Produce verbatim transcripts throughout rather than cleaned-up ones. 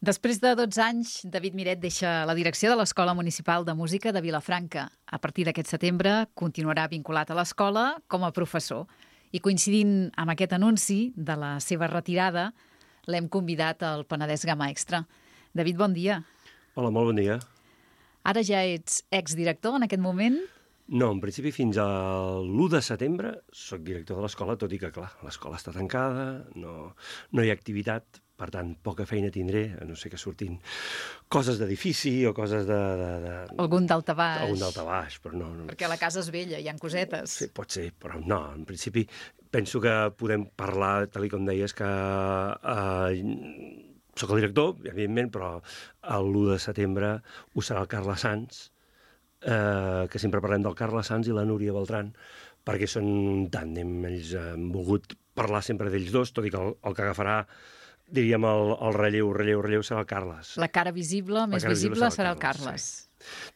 Després de dotze anys, David Miret deixa la direcció de l'Escola Municipal de Música de Vilafranca. A partir d'aquest setembre continuarà vinculat a l'escola com a professor. I coincidint amb aquest anunci de la seva retirada, l'hem convidat al Penedès Gamma Extra. David, bon dia. Hola, molt bon dia. Ara ja ets exdirector en aquest moment? No, en principi fins a l'u de setembre soc director de l'escola, tot i que, clar, l'escola està tancada, no, no hi ha activitat, per tant, poca feina tindré, a no ser que surtin coses d'edifici o coses de... de, de... Algun daltabaix. Algun daltabaix, però no, no... Perquè la casa és vella, hi ha cosetes. Sí, pot ser, però no, en principi penso que podem parlar, tal com deies, que eh, soc el director, evidentment, però l'u de setembre ho serà el Carles Sans, eh, que sempre parlem del Carles Sans i la Núria Beltran, perquè són un tàndem, ells han volgut parlar sempre d'ells dos, tot i que el, el que agafarà, diríem, el, el relleu, relleu, relleu serà el Carles. La cara visible, més cara visible, visible serà el Carles. Sí.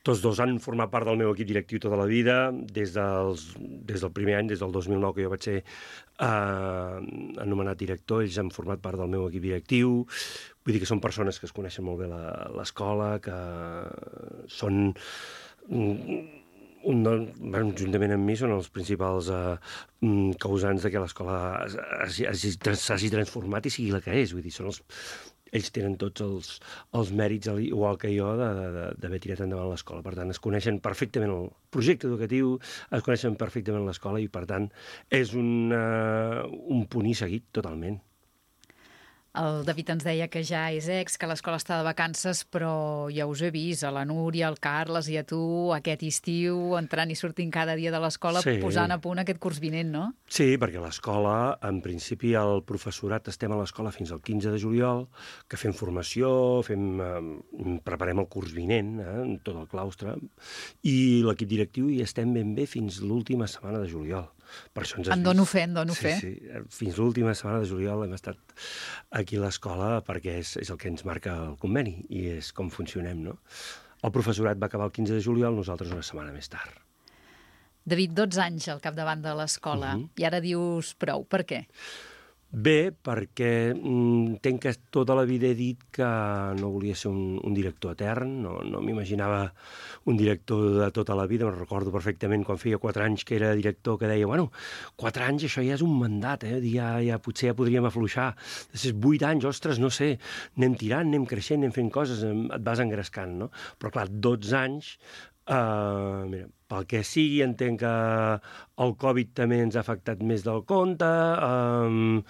Tots dos han format part del meu equip directiu tota la vida, des, dels, des del primer any, des del dos mil nou, que jo vaig ser eh, anomenat director, ells han format part del meu equip directiu. Vull dir que són persones que es coneixen molt bé l'escola, que són... Un, bueno, juntament amb mi són els principals eh, causants de que l'escola s'hagi transformat i sigui la que és. Vull dir, són els, ells tenen tots els, els mèrits, igual que jo, d'haver tirat endavant l'escola. Per tant, es coneixen perfectament el projecte educatiu, es coneixen perfectament l'escola i, per tant, és un, uh, un punt i seguit totalment. El David ens deia que ja és ex, que l'escola està de vacances, però ja us he vist, a la Núria, al Carles i a tu, aquest estiu, entrant i sortint cada dia de l'escola, sí, posant a punt aquest curs vinent, no? Sí, perquè l'escola, en principi, el professorat estem a l'escola fins al quinze de juliol, que fem formació, fem, eh, preparem el curs vinent, eh, tot el claustre, i l'equip directiu hi estem ben bé fins l'última setmana de juliol. Per això ens has en dono vist. fe, en dono sí, fe. Sí, fins l'última setmana de juliol hem estat aquí a l'escola perquè és, és el que ens marca el conveni i és com funcionem, no? El professorat va acabar el quinze de juliol, nosaltres una setmana més tard. David, dotze anys al capdavant de l'escola, uh-huh. I ara dius prou. Per què? Bé, perquè entenc que tota la vida he dit que no volia ser un, un director etern, no, no m'imaginava un director de tota la vida. Me'n recordo perfectament quan feia quatre anys que era director, que deia, bueno, quatre anys això ja és un mandat, eh? ja, ja potser ja podríem afluixar. Després vuit anys, ostres, no sé, anem tirant, anem creixent, anem fent coses, et vas engrescant, no? Però clar, dotze anys... Uh, mira, pel que sigui, entenc que el Covid també ens ha afectat més del compte, um,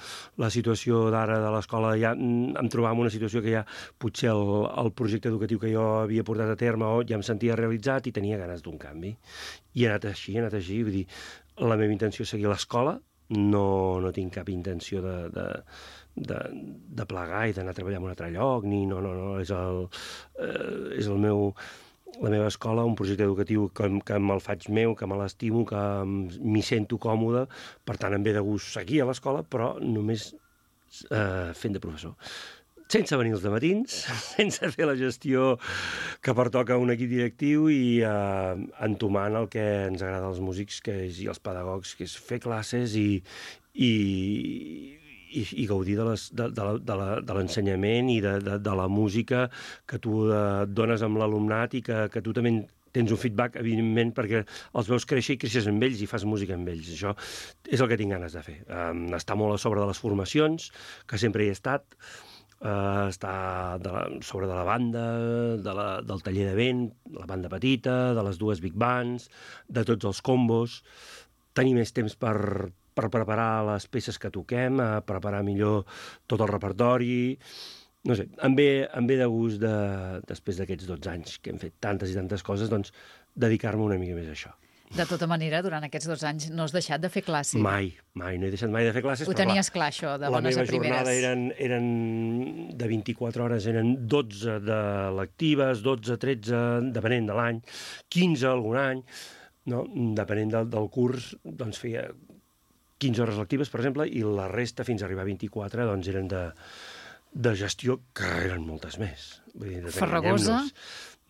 la situació d'ara de l'escola, ja em trobava en una situació que ja potser el, el projecte educatiu que jo havia portat a terme ja em sentia realitzat i tenia ganes d'un canvi. I he anat així, he anat així, vull dir, la meva intenció és seguir l'escola, no, no tinc cap intenció de... de De, de plegar i d'anar a treballar en un altre lloc, ni no, no, no, és el, eh, és el meu, la meva escola, un projecte educatiu que, que me'l faig meu, que me l'estimo, que m'hi sento còmode, per tant em ve de gust seguir a l'escola, però només eh, fent de professor. Sense venir els dematins, sense fer la gestió que pertoca a un equip directiu i eh, entomant el que ens agrada als músics que és, i als pedagogs, que és fer classes i, i, i, i gaudir de, les, de, de, de, la, de l'ensenyament i de, de, de la música que tu et dones amb l'alumnat i que, que tu també tens un feedback, evidentment, perquè els veus créixer i creixes amb ells i fas música amb ells. Això és el que tinc ganes de fer. Um, estar molt a sobre de les formacions, que sempre hi he estat, uh, estar de la, sobre de la banda, de la, del taller de vent, la banda petita, de les dues big bands, de tots els combos, tenir més temps per... per preparar les peces que toquem, a preparar millor tot el repertori. No sé, em ve, em ve de gust, de, després d'aquests dotze anys que hem fet tantes i tantes coses, doncs dedicar-me una mica més a això. De tota manera, durant aquests dos anys no has deixat de fer classes. Mai, mai, no he deixat mai de fer classes. Ho tenies clar, això, de bones a primeres. La meva jornada eren, eren de vint-i-quatre hores, eren dotze de lectives, dotze, tretze, depenent de l'any, quinze algun any, no? Depenent del, del curs, doncs feia quinze hores lectives, per exemple, i la resta, fins a arribar a vint-i-quatre, doncs eren de, de gestió, que eren moltes més. Vull dir, Farragosa?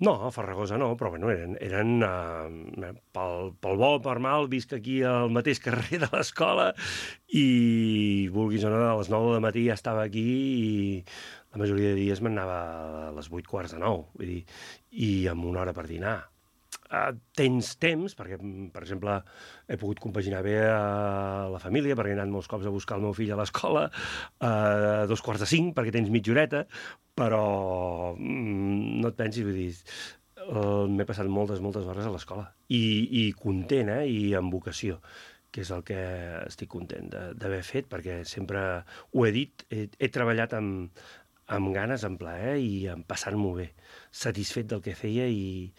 No, a Ferragosa no, però bueno, eren, eren uh, pel, pel bo o per mal, visc aquí al mateix carrer de l'escola i, vulguis o no, a les nou del matí ja estava aquí i la majoria de dies m'anava a les vuit quarts de nou, vull dir, i amb una hora per dinar. Uh, tens temps, perquè, per exemple, he pogut compaginar bé a la família, perquè he anat molts cops a buscar el meu fill a l'escola, a uh, dos quarts de cinc, perquè tens mitja horeta, però mm, no et pensis, vull dir, uh, m'he passat moltes, moltes hores a l'escola. I, i content, eh? I amb vocació, que és el que estic content d'haver fet, perquè sempre ho he dit, he, he treballat amb, amb ganes, amb plaer i amb passar-m'ho bé, satisfet del que feia i,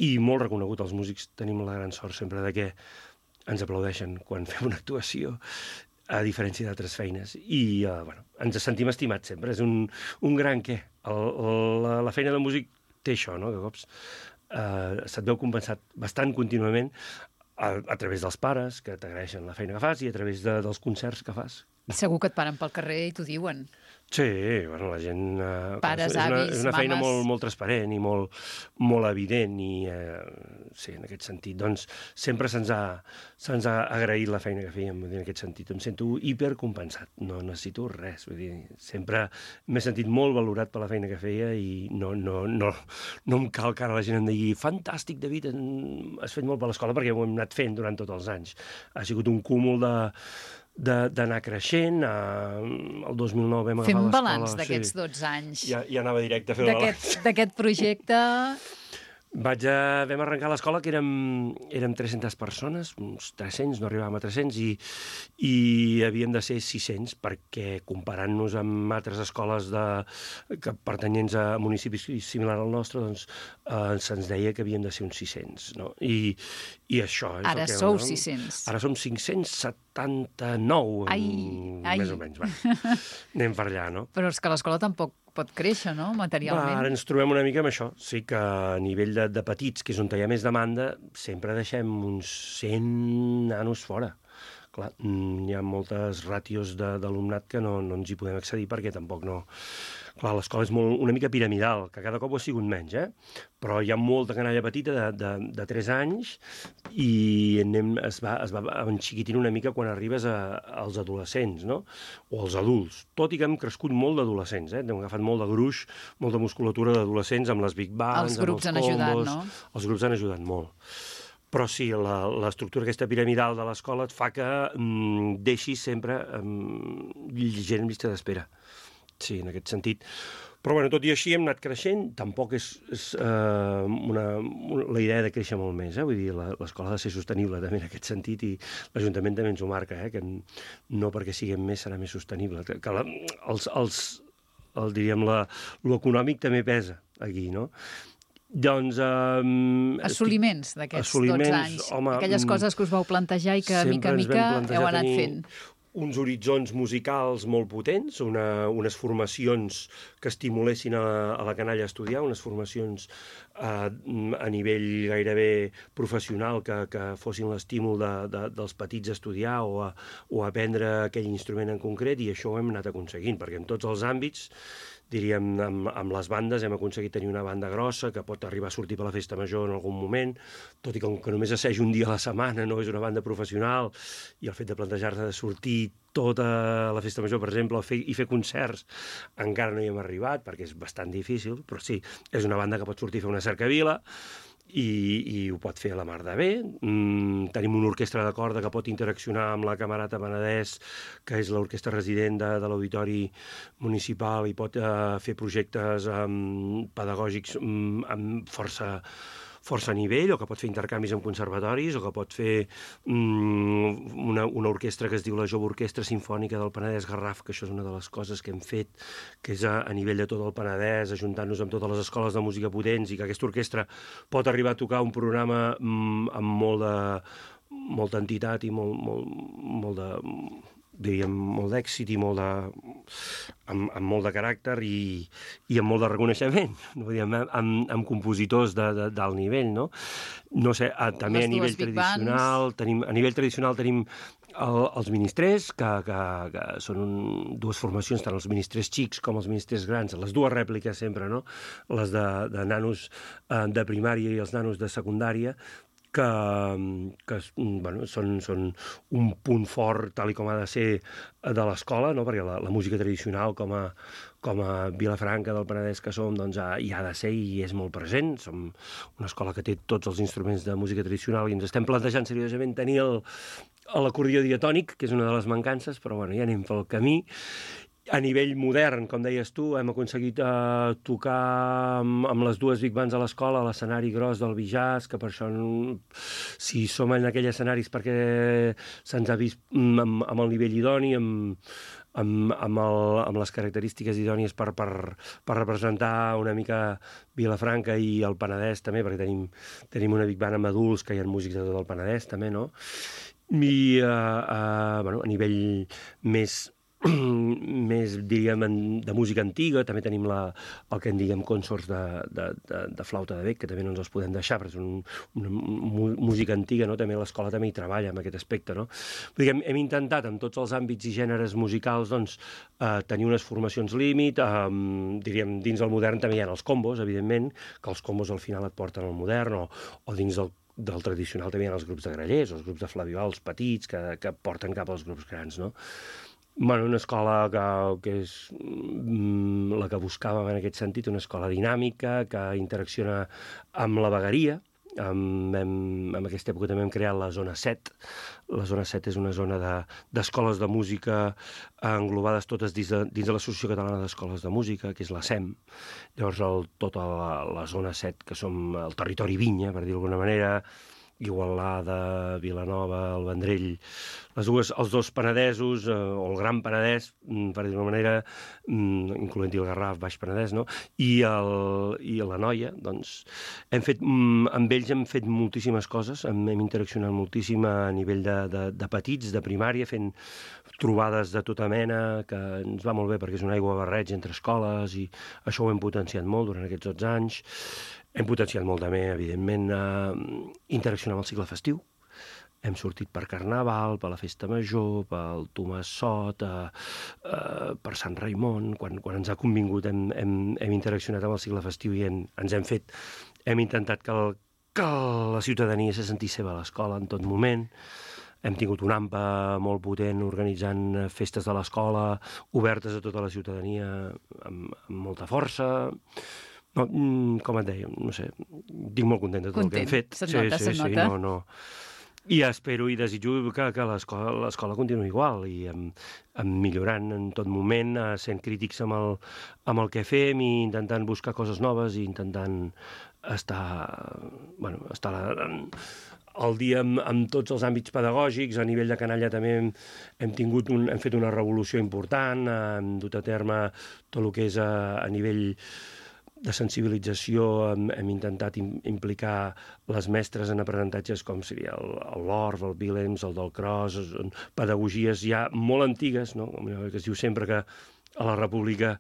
i molt reconegut. Els músics tenim la gran sort sempre de que ens aplaudeixen quan fem una actuació, a diferència d'altres feines. I, uh, bueno, ens sentim estimats sempre. És un, un gran què. El, la, la feina de músic té això, no?, que a cops uh, se't veu compensat bastant contínuament a, a través dels pares, que t'agraeixen la feina que fas, i a través de, dels concerts que fas. Segur que et paren pel carrer i t'ho diuen. Sí, bueno, la gent... Eh, Pares, és una, avis, és una feina mames. molt, molt transparent i molt, molt evident i, eh, sí, en aquest sentit, doncs, sempre se'ns ha, se'ns ha agraït la feina que fèiem, en aquest sentit. Em sento hipercompensat, no necessito res, vull dir, sempre m'he sentit molt valorat per la feina que feia i no, no, no, no em cal que ara la gent em digui fantàstic, David, has fet molt per l'escola, perquè ho hem anat fent durant tots els anys. Ha sigut un cúmul de d'anar creixent. Uh, el dos mil nou vam agafar l'escola. Fem l'escola. balanç d'aquests sí. dotze anys. Ja, ja anava directe a fer el balanç. D'aquest projecte... Vaig a, vam arrencar l'escola que érem, érem tres-centes persones, uns tres-cents, no arribàvem a tres-cents, i, i havíem de ser sis-cents, perquè comparant-nos amb altres escoles de, que pertanyents a municipis similars al nostre, doncs eh, se'ns deia que havíem de ser uns sis-cents, no? I, i això és Ara el que... sou no? sis-cents. Ara som cinc-cents setanta-nou, ai, ai. més o menys. Va. Anem per allà, no? Però és que l'escola tampoc pot créixer, no?, materialment. Va, ara ens trobem una mica amb això. Sí que a nivell de, de petits, que és on hi ha més demanda, sempre deixem uns cent nanos fora. Clar, hi ha moltes ràtios d'alumnat que no, no ens hi podem accedir perquè tampoc no... Clar, l'escola és molt, una mica piramidal, que cada cop ho ha sigut menys, eh? Però hi ha molta canalla petita de, de, de tres anys i anem, es, va, es va enxiquitint una mica quan arribes a, als adolescents, no? O als adults. Tot i que hem crescut molt d'adolescents, eh? Hem agafat molt de gruix, molta musculatura d'adolescents amb les big bands, els grups amb els han combos. ajudat, no? Els grups han ajudat molt. Però sí, l'estructura aquesta piramidal de l'escola et fa que mm, deixis sempre mm, gent en llista d'espera. Sí, en aquest sentit. Però, bueno, tot i així hem anat creixent. Tampoc és, és uh, una, una, la idea de créixer molt més, eh? Vull dir, l'escola ha de ser sostenible també en aquest sentit i l'Ajuntament també ens ho marca, eh? Que no perquè siguem més serà més sostenible. Que, que la, els, els, el, diríem, la, l'econòmic també pesa aquí, no? Doncs... Um, assoliments d'aquests dotze anys. Home, aquelles coses que us vau plantejar i que, mica a mica, heu anat fent. Uns horitzons musicals molt potents, una, unes formacions que estimulessin a, a la canalla a estudiar, unes formacions a, a nivell gairebé professional que, que fossin l'estímul de, de, dels petits a estudiar o a, o a aprendre aquell instrument en concret, i això ho hem anat aconseguint, perquè en tots els àmbits, diríem, amb, amb les bandes hem aconseguit tenir una banda grossa que pot arribar a sortir per la festa major en algun moment, tot i que, que només assaig un dia a la setmana, no és una banda professional, i el fet de plantejar-se de sortir tota la festa major, per exemple, fer, i fer concerts, encara no hi hem arribat, perquè és bastant difícil, però sí, és una banda que pot sortir a fer una cercavila, i, i ho pot fer a la mar de bé. Mm, tenim una orquestra de corda que pot interaccionar amb la Camerata Penedès, que és l'orquestra resident de, de l'Auditori Municipal, i pot uh, fer projectes um, pedagògics um, amb força, força nivell, o que pot fer intercanvis amb conservatoris, o que pot fer um, una, una orquestra que es diu la Jove Orquestra Simfònica del Penedès Garraf, que això és una de les coses que hem fet, que és a, a nivell de tot el Penedès, ajuntant-nos amb totes les escoles de música potents, i que aquesta orquestra pot arribar a tocar un programa um, amb molt de, molta entitat i molt, molt, molt de... diríem, molt d'èxit i molt de, amb, amb molt de caràcter i, i amb molt de reconeixement, no? Diguem, amb, amb compositors de, de, d'alt nivell, no? No sé, a, també Les a nivell tradicional, tenim, a nivell tradicional tenim el, els ministrers, que, que, que són un, dues formacions, tant els ministrers xics com els ministrers grans, les dues rèpliques sempre, no? Les de, de nanos eh, de primària i els nanos de secundària, que, que bueno, són, són un punt fort, tal i com ha de ser, de l'escola, no? Perquè la, la música tradicional, com a, com a Vilafranca del Penedès que som, doncs, ha, hi ha de ser i és molt present. Som una escola que té tots els instruments de música tradicional i ens estem plantejant seriosament tenir el, l'acordió diatònic, que és una de les mancances, però bueno, ja anem pel camí. A nivell modern, com deies tu, hem aconseguit eh, tocar amb, amb les dues big bands a l'escola, a l'escenari gros del Bijàs, que per això, si som en aquells escenaris perquè se'ns ha vist amb, amb el nivell idoni, amb, amb, amb, el, amb les característiques idònies per, per, per representar una mica Vilafranca i el Penedès també, perquè tenim, tenim una big band amb adults que hi ha músics de tot el Penedès també, no? I eh, eh, bueno, a nivell més més, diríem, de música antiga, també tenim la, el que en diguem consorts de, de, de, de flauta de bec, que també no ens els podem deixar, perquè és un, una música antiga, no? També l'escola també hi treballa en aquest aspecte, no? Diguem, hem intentat, en tots els àmbits i gèneres musicals, doncs, eh, tenir unes formacions límit, eh, diríem, dins el modern també hi ha els combos, evidentment, que els combos al final et porten al modern, o, o dins del del tradicional també hi ha els grups de grallers, els grups de flabiol, petits, que, que porten cap als grups grans, no? Bueno, una escola que, que és mm, la que buscàvem en aquest sentit, una escola dinàmica, que interacciona amb la vegueria. Amb, hem, en aquesta època també hem creat la zona set. La zona set és una zona de, d'escoles de música englobades totes dins de, dins de l'Associació Catalana d'Escoles de Música, que és la S E M. Llavors, el, tota la, la zona set, que som el territori vinya, per dir d'alguna manera, Igualada, Vilanova, el Vendrell, les dues, els dos Penedesos, eh, o el Gran Penedès, per dir d'una manera, incloent-hi el Garraf, Baix Penedès, no? I, el, i la Noia, doncs, hem fet, amb ells hem fet moltíssimes coses, hem, hem interaccionat moltíssim a nivell de, de, de petits, de primària, fent trobades de tota mena, que ens va molt bé perquè és una aigua barreig entre escoles i això ho hem potenciat molt durant aquests dotze anys. Hem potenciat molt també, evidentment, eh, interaccionar amb el cicle festiu. Hem sortit per Carnaval, per la Festa Major, pel Tomàs Sot, eh, eh, per Sant Raimon. Quan, quan ens ha convingut hem, hem, hem interaccionat amb el cicle festiu i hem, ens hem fet... Hem intentat que, el, que la ciutadania se sentís seva a l'escola en tot moment. Hem tingut un AMPA molt potent organitzant festes de l'escola obertes a tota la ciutadania amb, amb molta força. No, com et deia, no sé, estic molt content de tot Content. El que hem fet. Se't nota, sí, sí, se't sí, nota. no, no. I espero i desitjo que, que l'escola, l'escola continuï igual i amb, amb millorant en tot moment, sent crítics amb el, amb el que fem i intentant buscar coses noves i intentant estar, bueno, estar al dia amb, amb tots els àmbits pedagògics. A nivell de canalla també hem, hem, tingut un, hem fet una revolució important, hem dut a terme tot el que és a, a nivell de sensibilització, hem, hem intentat im, implicar les mestres en aprenentatges com seria el, el Lorf, el Willems, el del Cross, pedagogies ja molt antigues, no? Que es diu sempre que a la República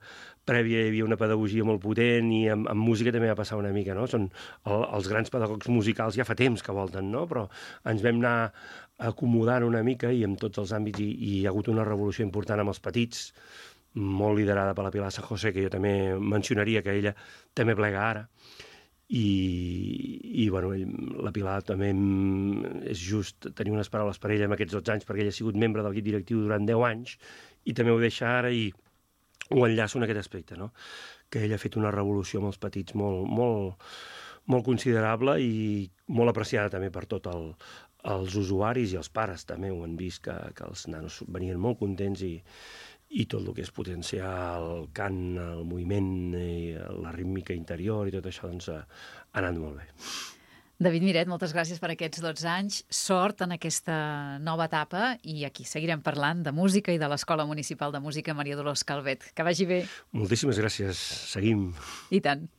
prèvia hi havia una pedagogia molt potent i amb, amb música també va passar una mica, no? Són el, els grans pedagogs musicals ja fa temps que volten, no? Però ens vam anar acomodant una mica i en tots els àmbits i, i hi ha hagut una revolució important amb els petits, molt liderada per la Pilar San José, que jo també mencionaria que ella també plega ara. I, i bueno, la Pilar també és just tenir unes paraules per ella en aquests dotze anys, perquè ella ha sigut membre del guit directiu durant deu anys, i també ho deixa ara i ho enllaço en aquest aspecte, no? Que ella ha fet una revolució amb els petits molt, molt, molt considerable i molt apreciada també per tot el, els usuaris i els pares també ho han vist, que, que els nanos venien molt contents i i tot el que és potenciar el cant, el moviment, i la rítmica interior i tot això doncs, ha anat molt bé. David Miret, moltes gràcies per aquests dotze anys. Sort en aquesta nova etapa i aquí seguirem parlant de música i de l'Escola Municipal de Música Maria Dolors Calvet. Que vagi bé. Moltíssimes gràcies. Seguim. I tant.